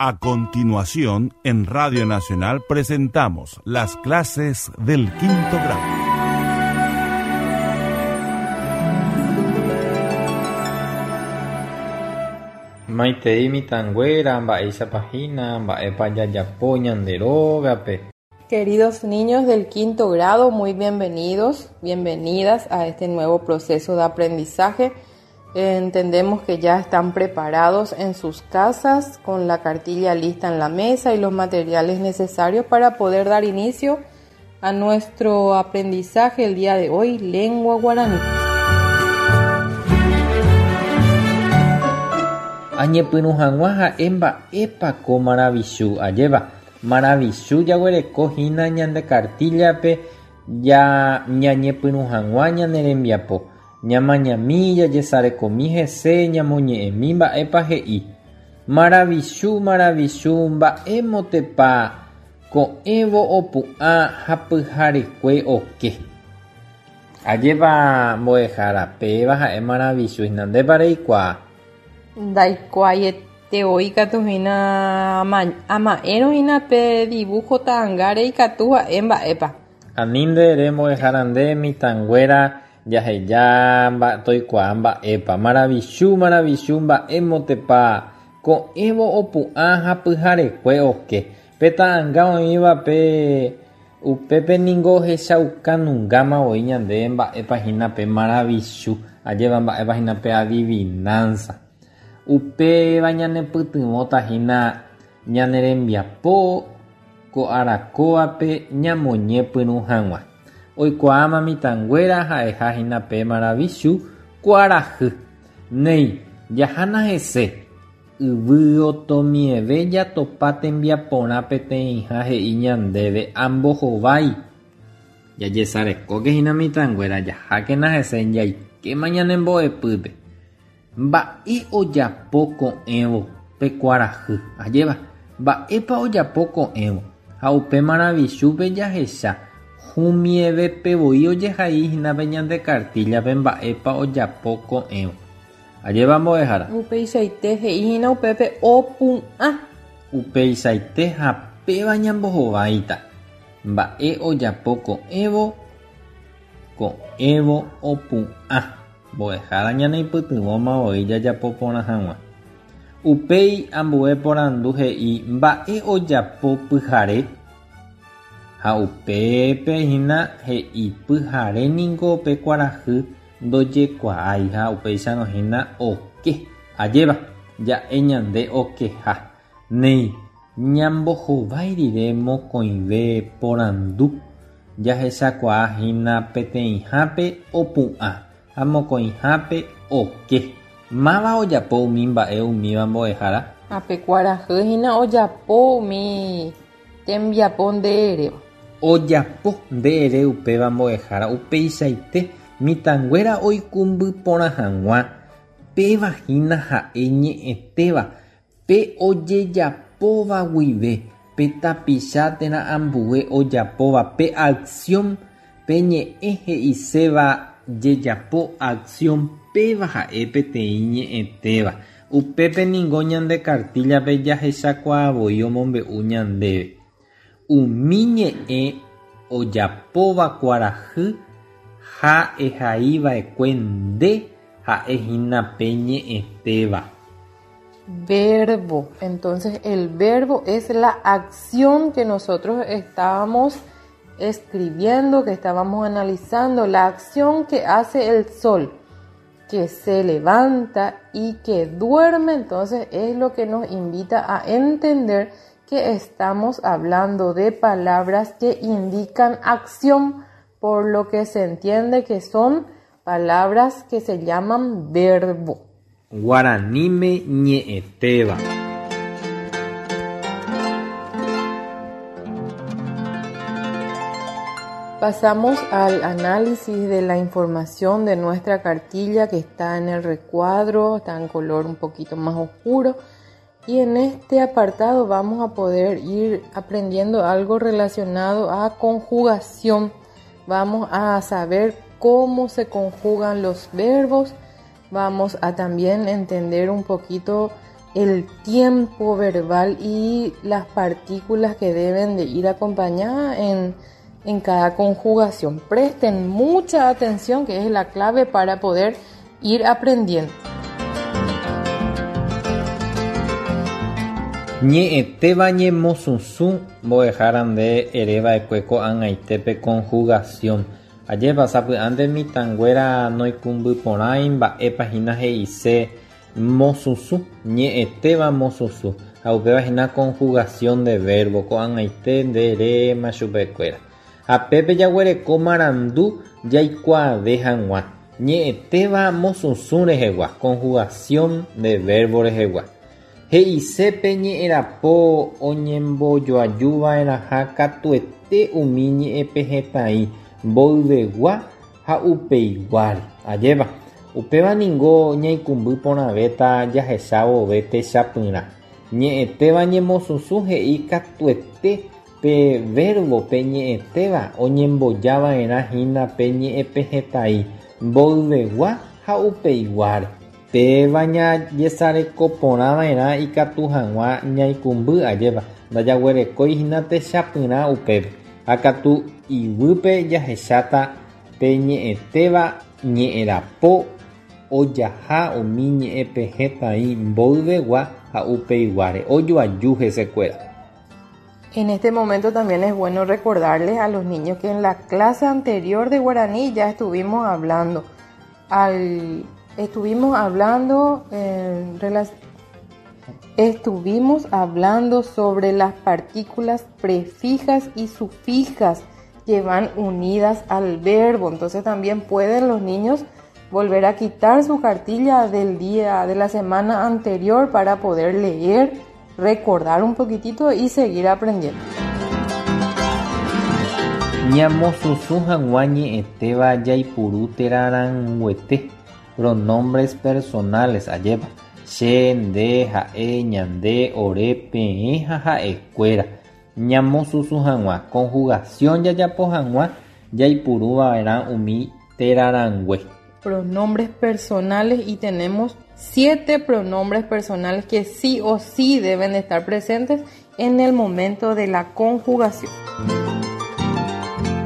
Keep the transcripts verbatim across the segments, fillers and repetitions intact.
A continuación, en Radio Nacional presentamos las clases del quinto grado. Maitei mitãnguéra, mba'éichapa hína, mba'épa jajapo ñande rógape. Queridos niños del quinto grado, muy bienvenidos, bienvenidas a este nuevo proceso de aprendizaje. Entendemos que ya están preparados en sus casas con la cartilla lista en la mesa y los materiales necesarios para poder dar inicio a nuestro aprendizaje el día de hoy, lengua guaraní. Añepyrũ hag̃ua ha'e mba'épa ko maravichu ajéva. Maravichu jaguereko hína ñande cartillape ya ñañepyrũ hag̃ua ñane rembiapo. Ñamañami jajesarekomi hese ñamoñe'ẽmi mba'épa he'i. Maravichu, maravichu, mba'émotepa ko'ẽvo opu'ã ha pyharekue oke. Ajépa mbo'ehára péva ha'e maravichu hína ndépa reikuaa. Ndaikuaaiete voi katu hína ama'ẽrõ hína pe dibujo ta'ãngáre ikatu ha'e mba'épa. Ani nde ere mbo'ehára nde mitãnguéra jaheja toikuaa mba'épa. Maravichu, maravichu, mba'émotepa ko'ẽvo opu'ã ha pyharekue oke. Pe ta'ãnga oĩva pe upépe ningo ohechaukanungáma voi ñande mba'épa hína pe maravichu, ajéva mba'épa hína pe adivinanza. Upéva ñanepytyvõta hína ñane rembiapo ko arakóvape ñamoñepyrũ hag̃ua. Oikuaáma mitãnguéra ha'eha hína pe maravichu kuarahy. Néi, jahána hese. Yvy otomieve jatopa tembiaporã peteĩha he'i ñandéve ambohovái. Jajesarekóke hína mitãnguéra jahákena hese jaikéma ñanembo'epýpe. Mba'e ojapo ko'ẽvo pe kuarahy, ajéva, mba'épa ojapo ko'ẽvo ha upe maravichúpe jahecha humievépe voi ojehai hína pe ñande cartillape mba'épa ojapo ko'ẽvo. Ajéva mbo'ehára. Upeichaite he'i hína upépe opu'ã. Upeichaite ha péva ñambohováita. Mba'e ojapo ko'ẽvo, ko'ẽvo opu'ã. Mbo'ehára ñaneipytyvõma voi jajapo porã hag̃ua. Upéi ambue porandu he'i mba'e ojapo pyhare. Ha upépe hína he'i pyhare ningo pe kuarahy ndojekuaái ha upéicharõ hína oke. Ajéva, ja'e ñande okeha. Néi, ñambohovái rire mokõive porandu jahechakuaa hína peteĩhápe opu'ã ha mokõihápe oke. Máva ojapo umi mba'e umíva mbo'ehára? Ha pe kuarahy hína ojapo umi tembiapo nde eréva. Ojapo nde ere upéva mbo'ehára upeichaite mitãnguéra oikũmby porã hag̃ua péva hína ha'e ñe'ẽtéva pe ojejapóva guive pe tapicha térã ambue ojapóva pe acción pe ñe'ẽ he'iséva jejapo acción péva ha'e peteĩ ñe'ẽtéva. Upépe ningo ñande cartillape jahechakuaa voi omombe'u ñandéve. Umi ñe'ẽ ojapóva kuarahy ha ehaiva'ekue nde ha'e hína pe ñe'ẽtéva. Verbo. Entonces el verbo es la acción que nosotros estábamos escribiendo, que estábamos analizando, la acción que hace el sol, que se levanta y que duerme. Entonces es lo que nos invita a entender que estamos hablando de palabras que indican acción, por lo que se entiende que son palabras que se llaman verbo. Guaraníme ñe'ẽtéva. Pasamos al análisis de la información de nuestra cartilla que está en el recuadro, está en color un poquito más oscuro. Y en este apartado vamos a poder ir aprendiendo algo relacionado a conjugación. Vamos a saber cómo se conjugan los verbos. Vamos a también entender un poquito el tiempo verbal y las partículas que deben de ir acompañadas en, en cada conjugación. Presten mucha atención, que es la clave para poder ir aprendiendo. Ñe'ẽtéva ñemosusũ mbo'ehára nde ereva'ekue ko'ag̃aite conjugación. Ajépa sapy'ánte mitãnguéra noikũmbyporãi mba'épa hína he'ise mosusũ, ñe'ẽtéva mosusũ ha upéva hína conjugación de verbo ko'ag̃aite nde eréma chupekuéra. Ha pépe jaguereko marandu jaikuaave hag̃ua ñe'ẽtéva mosusũ rehegua, conjugación de verbo rehegua. He'isépe ñe'ẽrapo oñembojoajuva'erãha katuete umi ñe'ẽpehẽtai mboyvegua ha upeiguáre. Ajépa, upéva ningo ñaikũmby porãvéta jahechavove techapyrã. Ñe'ẽtéva ñemosusũ he'i katuete pe verbo pe ñe'ẽtéva oñembojava'erã hína pe ñe'ẽpehẽtai mboyvegua ha upeiguáre. Péva ñajesarekoporãva'erã ikatu hag̃ua ñaikũmby ajépa ndajaguerekói hína techapyrã upépe. Ha katu iguýpe jahecháta pe ñe'ẽtéva ñe'ẽrapo ojaha umi ñe'ẽpehẽtai mboyvegua ha upeiguáre ojoaju hesekuéra. En este momento también es bueno recordarles a los niños que en la clase anterior de guaraní ya estuvimos hablando al Estuvimos hablando, eh, estuvimos hablando sobre las partículas prefijas y sufijas que van unidas al verbo. Entonces también pueden los niños volver a quitar su cartilla del día de la semana anterior para poder leer, recordar un poquitito y seguir aprendiendo. Ñamosusũ hag̃ua ñe'ẽtéva jaipuru terarãnguete. Pronombres personales, ajépa che, nde, ha'e, ñande, ore, peẽ ha ha'ekuéra. Ñamosusũ hag̃ua conjugación jajapo hag̃ua jaipuruva'erã umi terarãngue. Pronombres personales, y tenemos siete pronombres personales que sí o sí deben estar presentes en el momento de la conjugación.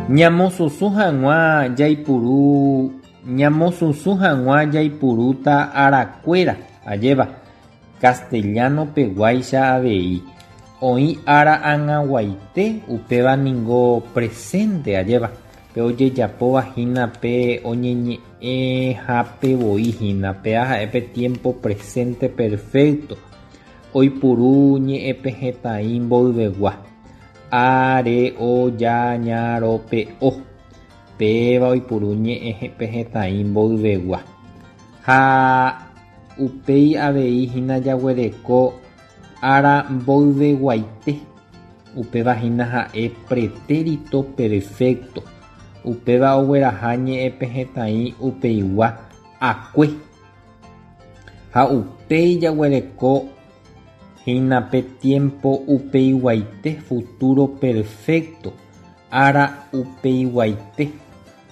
Ñamosusũ hag̃ua jaipuru Ñamosusũ hag̃ua jaipurúta arakuéra, ajépa castellano peguáicha avei. Oĩ ára ag̃aguaite upéva ningo presente, ajépa pe ojejapóva hína pe oñeñe'ẽhapevoi hína péa ha'e pe tiempo presente perfecto. Oipuru ñe'ẽpehẽtai mboyvegua. A, re, o, ya, ña, ro, pe, o. Péva oipuru ñe'ẽpehẽtai mboyvegua. Ha upéi avei hína jaguereko ára mboyveguaite. Upéva hína ha'e pretérito perfecto. Upéva ogueraha ñe'ẽpehẽtai upeigua akue. Ha upéi jaguereko hína pe tiempo upeiguaite futuro perfecto. Ára upeiguaite.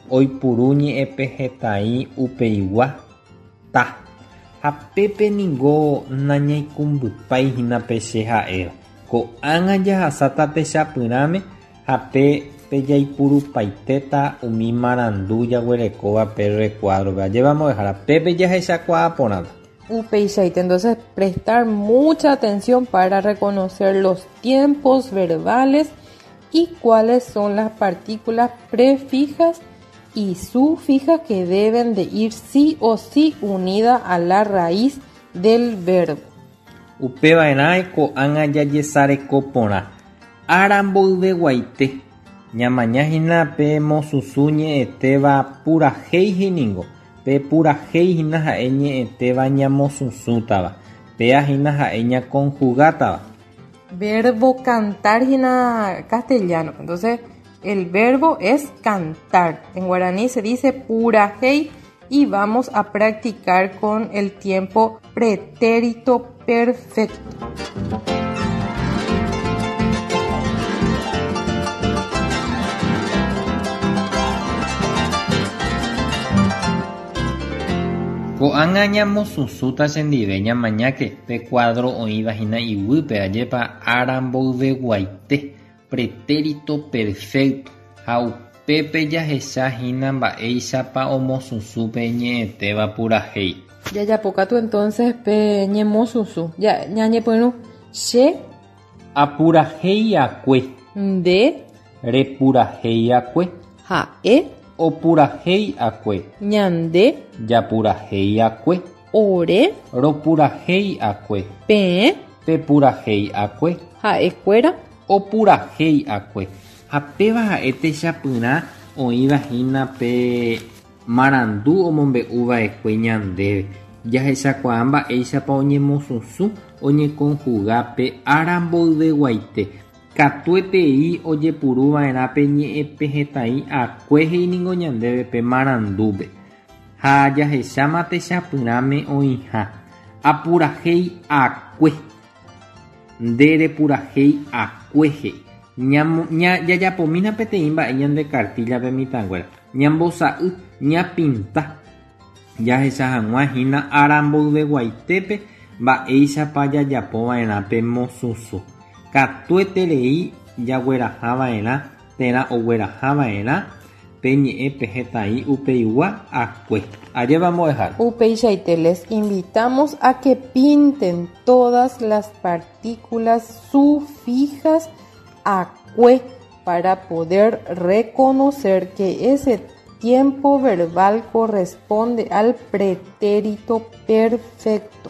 Oipuru ñe'ẽpehẽtai upeigua ta. Ha pépe ningo nañaikũmbypái hína pe che ha'éva. Ko'ág̃a jahasáta techapyrãme ha pe pejaipurupaitéta umi marandu jaguerekóva pe recuadro-pe. Ajépa mbo'ehára pépe jahechakuaa porãta. Upeichaite, entonces prestar mucha atención para reconocer los tiempos verbales y cuáles son las partículas prefijas y sufijas que deben de ir sí o sí unida a la raíz del verbo. Upeva'erã ko'ág̃a jajesarekoporã. Ára mboyveguaite. Ñamaña hína pe mosusũ ñe'ẽtéva purahéi ningo. Pe purahéi hína ha'e ñe'ẽtéva ñamosusũtava. Péa hína ha'e ñaconjugátava. Verbo cantar hína castellano. Entonces, el verbo es cantar. En guaraní se dice purahéi y vamos a practicar con el tiempo pretérito perfecto. Ko'ág̃a ñamosusũta chendive ñamañáke pe cuadro oĩvahína iguýpe ajépa ára mboyveguaite pretérito perfecto ha upépe jahechahína mba'éichapa omosusũ pe ñe'ẽtéva purahéi. Jajapókatu entonces pe ñemosusũ. Ja, ñañepyrũ che Apurahéi'akue. Nde Repurahéi'akue. Ha'e Opurahéi'akue. Ñande Japurahéi'akue. Ore Ropurahéi'akue. Peẽ Pepurahéi'akue. Ha'ekuéra Opurahéi'akue. Ha péva ha'e techapyrã oĩvahína pe marandu omombe'uva'ekue ñandéve. Jahechakuaa mba'éichapa oñemosusũ oñeconjuga pe ára mboyveguaite. Katuetei ojepuruva'erã pe ñe'ẽpehẽtai akue he'íningo ñandéve pe marandúpe. Ha jahecháma techapyrãme oĩha. Apurahéi'akue. Nde repurahéi'akue he'i. Ñamo- ña- jajapomína peteĩ mba'e ñande cartilla-pe mitãnguéra. Ñambosa'y, ñapinta. Jahecha hag̃ua hína ára mboyveguaitépe mba'éichapa jajapova'erã pe mosusũ. Katueterei jaguerahava'erã térã oguerahava'erã pe ñe'ẽpehẽtai upeigua akue. Ajépa mbo'ehára. Upeichaite les invitamos a que pinten todas las partículas sufijas akue para poder reconocer que ese tiempo verbal corresponde al pretérito perfecto.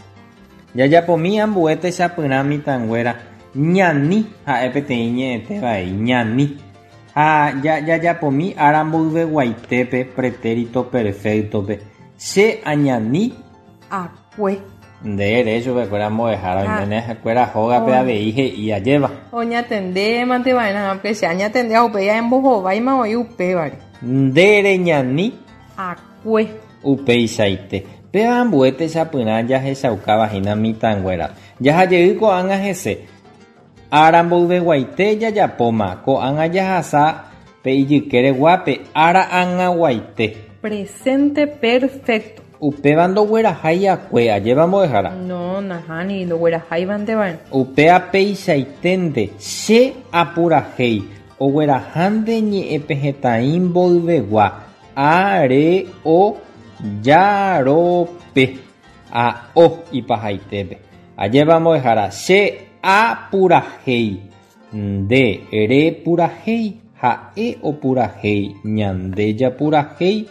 Jajapomi ambue techapyrã mitãnguéra ñani ha'e peteĩ ñe'ẽtévai ñani. Ha ja- jajapomi ára mboyveguaitépe pretérito perfecto-pe. Che añani Akue. Nde ere chupekuéra mbo'ehára Ah. oiméne ha'ekuéra hógape Oh. avei he'i ajéva. Oñatendémante va'erã, pe che añatende upéi aembohováima oĩ upévare. Nde reñani Akue. Upeichaite. Péva ambue techapyrã jahechaukavahína mitãnguéra. Jahajey ko'ág̃a hese. Ára mboyveguaite jajapóma. Ko'ág̃a jahasa pe ijykereguápe ára ag̃aguaite. Presente perfecto. Upéva ndoguerahái akue ajépa mbo'ehára. No, nahániri, ndogueraháivante va'erã. Upéva peichaiténte che apurahéi oguerahánte ñe'ẽpehẽtai mboyvegua a re o ja ro pe a o ipahaitépe. Ajépa mbo'ehára che apurahéi nde repurahéi ha'e opurahéi ñande japurahéi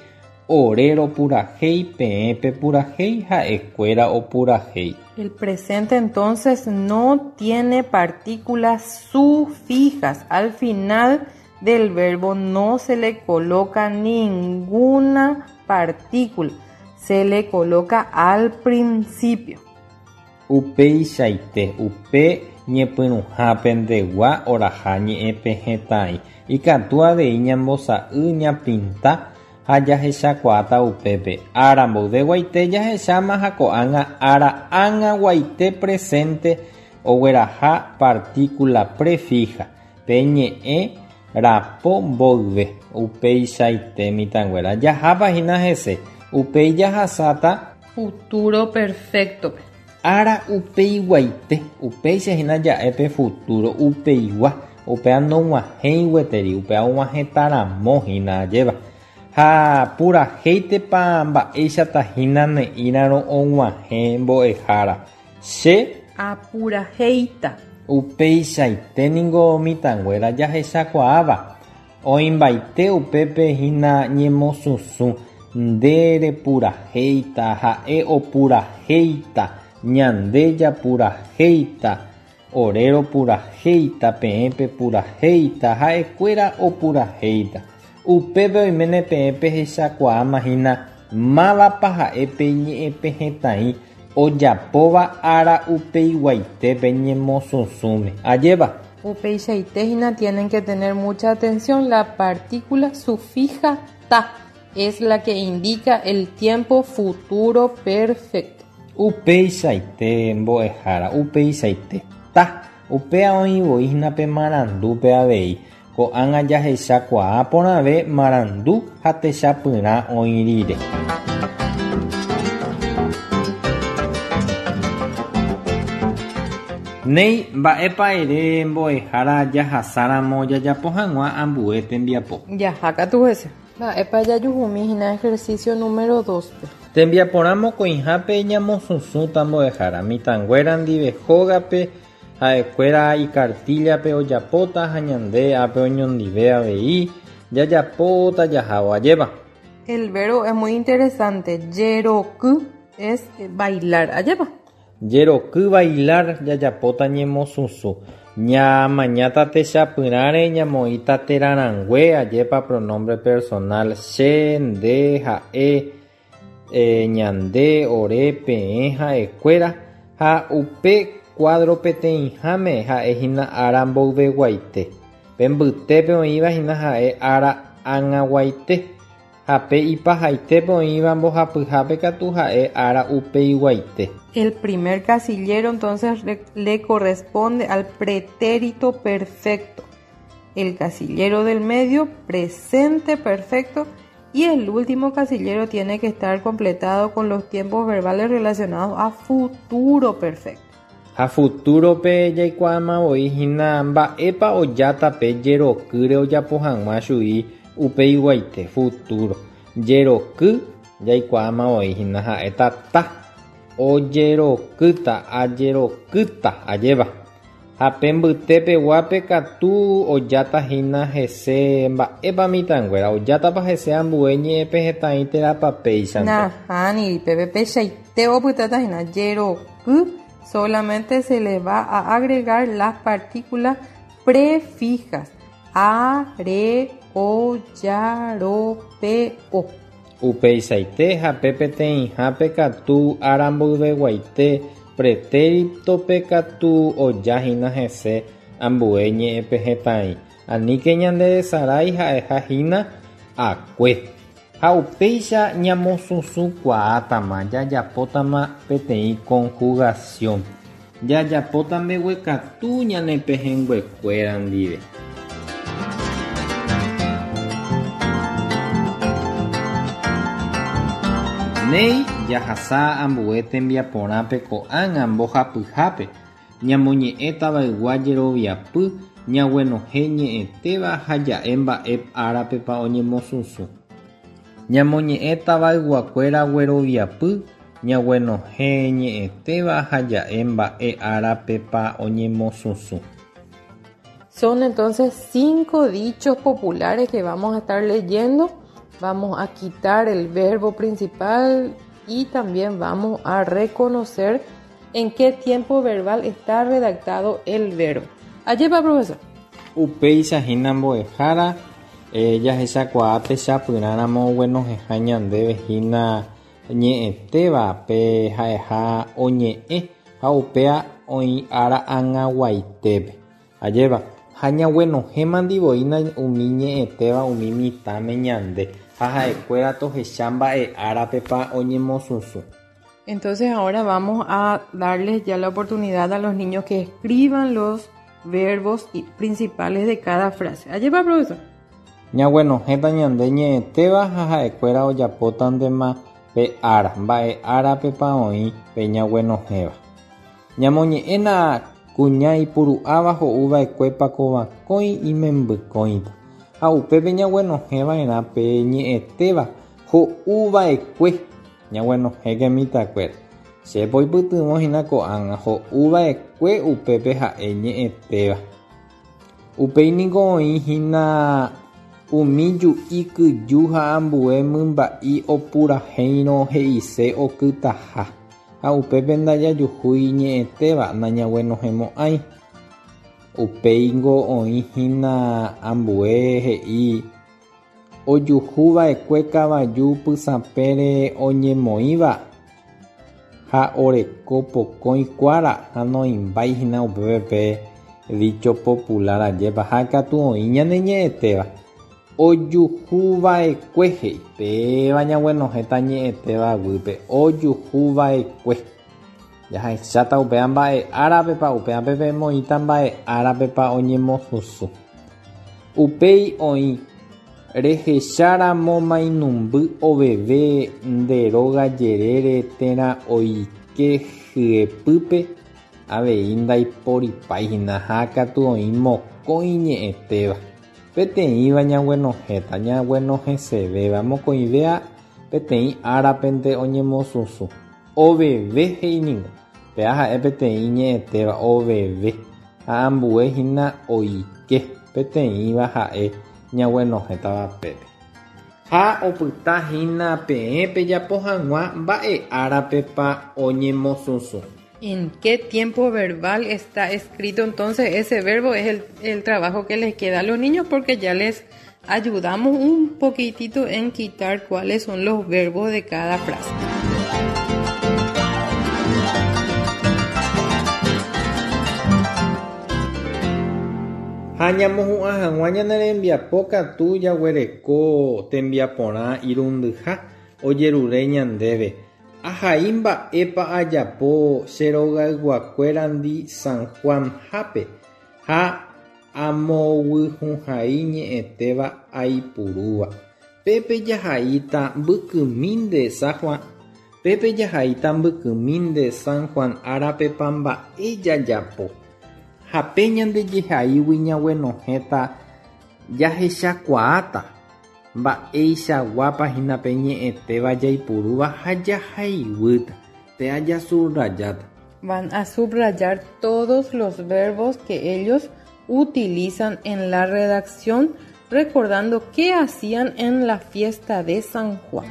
ore ropurahéi peẽ pepurahéi ha'ekuéra opurahéi. El presente entonces no tiene partículas sufijas. Al final del verbo no se le coloca ninguna partícula, se le coloca al principio. Upeichaite upe ñepyrũhápe ndegua oraha ñe'ẽpehẽtai. Ikatu avei ñambosa'y ñapinta ha jahechakuaáta upépe. Ára mboyveguaite jahecháma ha ko'ág̃a ára ag̃aguaite presente ogueraha partícula prefija pe ñe'ẽ rapo mboyve. Upeichaite mitãnguéra jahápahína hese. Upéi jahasáta Futuro perfecto. Ára upeiguaite. Upéicha hína ja'e pe futuro upeigua. Upéva nog̃uahẽi gueteri. Upéva og̃uahẽtaramo hína ajéva. Ha purahéitepa mba'éichata hína ne'írarõ og̃uahẽ mbo'ehára. Che Apurahéita. Upeichaite ningo mitãnguéra jahechakuaáva. Oĩmbaite upépe hína ñemosusũ. Nde repurahéita, ha'e opurahéita, ñande japurahéita, ore ropurahéita, peẽ pepurahéita, ha'ekuéra opurahéita. Upépe oiméne peẽ pehechakuaáma hína mávapa ha'e pe ñe'ẽpehẽtai ojapóva ára upeiguaitépe ñemosusũme. Ajépa. Upeichaite hína tienen que tener mucha atención. La partícula sufija ta es la que indica el tiempo futuro perfecto. Upeichaite mbo'ehára, upeichaite ta. Upéva oĩ voi hína pe marandúpe avei. Ko'ág̃a jahechakuaa porãve marandu ha techapyrã oĩ rire. Néi, mba'épa ere mbo'ehára jahasáramo jajapo hag̃ua ambue tembiapo. Jahákatu hese. Mba'épa jajuhumíhína ejercicio número dos-pe. Tembiaporã mokõihápe ñamosusũta mbo'ehára mitãnguéra ndive hógape ha'ekuéra ikartillape ojapóta ha ñande ápe oñondive avei jajapóta jahávo ajépa. El verbo es muy interesante. Jeroky es bailar. Ajépa. Jeroky bailar jajapóta ñemosusũ. Ñamañáta techapyrãre ñamoĩta terarãngue ajépa pronombre personal che, nde, ha'e, eh, ñande, ore, peẽ, ha'ekuéra ha upe cuadro peteĩháme ha'ehína ára mboyveguaite. Pe mbytépe oĩvahína ha'e ára ag̃aguaite ha pe ipahaitépe oĩva mbohapyhápe katu ha'e ára upeiguaite. El primer casillero entonces le, le corresponde al pretérito perfecto. El casillero del medio, presente perfecto. Y el último casillero tiene que estar completado con los tiempos verbales relacionados a futuro perfecto. Ha futurope jaikuaáma oĩhína mba'épa ojáta pe jerokýre ojapo hag̃ua chui upeiguaite futuro. Jeroky jaikuaáma oĩhína ha'éta ta ojerokýta ajerokýta ajéva. Ha pe mbytépeguápe katu ojátahína hese mba'épa mitãnguéra ojátapa hese ambue ñe'ẽpe hetãi térãpa péichante. Nahániri, pépe peichaite opytátahína jeroky solamente se le va a agregar las partículas prefijas a, re, o, ya, ro, pe, o. Upeichaite ha pe peteĩhápe katu ára mboyveguaite pretéritope katu ojáhína hese ambue ñe'ẽpe hetãi. Aníke ñanderesarái ha'ehahína akue. Ha upéicha ñamosusũkuaátama jajapótama peteĩ conjugación. Jajapóta mbeguekatu ñane pehẽnguekuéra ndive. Néi jahasa ambue tembiaporãpe ko'ág̃a mbohapyhápe ñamoñe'ẽ tavaygua jeroviapy ñaguenohẽ ñe'ẽtéva ha ja'e mba'e árapepa oñemosusũ. Ñamoñe'ẽ tavayguakuéra gueroviapy ñaguenohẽ ñe'ẽtéva ha ja'e mba'e árapepa oñemosusũ. Son entonces cinco dichos populares que vamos a estar leyendo. Vamos a quitar el verbo principal y también vamos a reconocer en qué tiempo verbal está redactado el verbo. Allí va, profesor. Upéicha hína mbo'ehára, eh, jahechakuaa techapyrãramo oguenohẽha ñandéve hína ñe'ẽtéva pe ha'eha oñe'ẽ ha upéa oĩ ára ag̃aguaitépe. Ajépa ha ñaguenohẽmandivoína umi ñe'ẽtéva umi mitãme ñande ha ha'ekuéra tohecha mba'e árapepa oñemosusũ. Entonces ahora vamos a darles ya la oportunidad a los niños que escriban los verbos principales de cada frase. Allí va, profesor. Ñaguenohẽta ñande ñe'ẽtéva ha ha'ekuéra ojapótantema pe ára, mba'e árapepa oĩ pe ñaguenohẽva. Ñamoñe'ẽna kuña ipuru'áva ho'uva'ekuépa kovakõi imembykõita. Ha upépe ñaguenohẽva'erã pe ñe'ẽtéva ho'uva'ekue ñaguenohẽke mitãkuéra. Chépa oipytyvõ hína ko'ág̃a ho'uva'ekue upépe ha'e ñe'ẽtéva. Upéi niko oĩhína umi ju'i kyju ha ambue mymba'i opurahéirõ he'ise okytaha. Ha upépe ndajajuhúi ñe'ẽtéva nañaguenohẽmo'ãi. Upéingo oĩhína ambue he'i ojuhuva'ekue kavaju pysãpére oñemoĩva ha oreko pokõi kuára ha noĩmbáihína upépe pe dicho popular ajépa ha katu oĩ ñane ñe'ẽtéva. Ojuhuva'ekue he'i péva ñaguenohẽta ñe'ẽtéva guýpe ojuhuva'ekue. Jahecháta upéva mba'e árapepa upévape pemoĩta mba'e árapepa oñemosusũ. Upéi oĩ rehecháramo mainumby oveve nde róga jerére térã oike hyepýpe Avei ndaiporipái hína ha katu oĩ mokõi ñe'ẽtéva. Peteĩva ñaguenohẽta ñaguenohẽsevéva mokõivéva peteĩ árapente oñemosusũ. Oveve he'iningo. Péa ha'e peteĩ ñe'ẽtéva oveve ha ambue hína oike peteĩva ha'e ñaguenohẽtava pépe. Ha opyta hína peẽ pejapo hag̃ua mba'e árapepa oñemosusũ. ¿En qué tiempo verbal está escrito entonces ese verbo? Es el, el trabajo que les queda a los niños porque ya les ayudamos un poquitito en quitar cuáles son los verbos de cada frase. Ha ñamohu'ã hag̃ua ñane rembiapo katu jaguereko tembiaporã irundyha ojerure ñandéve. Ahai mba'épa ajapo che rogayguakuérandi San Juan-hápe ha amoguyhũhai ñe'ẽtéva aipurúva. Pépe jahaíta mbykymínte San Juan Pépe jahaíta mbykymínte San Juan árapepa mba'e jajapo. Ha pe ñandejehaígui ñaguenohẽta jahechakuaáta mba'eichaguápa hína pe ñe'ẽtéva jaipurúva ha jahaiguýta. Péa jasubrayáta. Van a subrayar todos los verbos que ellos utilizan en la redacción, recordando qué hacían en la fiesta de San Juan.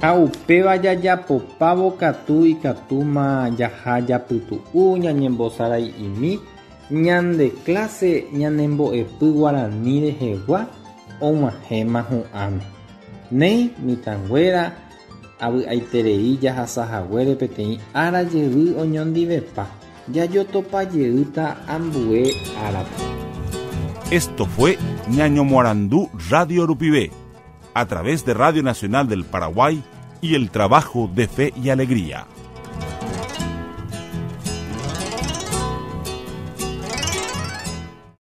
Ha upéva jajapopávo katu ikatúma jaha japytu'u ñañembosarai'imi ñande clase ñanembo'epy guarani rehegua og̃uahẽma hu'ãme. Néi mitãnguéra avy'aiterei jahasahaguére peteĩ ára jey oñondivepa jajotopajeýta ambue árape. Esto fue Ñañomoarandú Radio Rupive, a través de Radio Nacional del Paraguay y el trabajo de Fe y Alegría.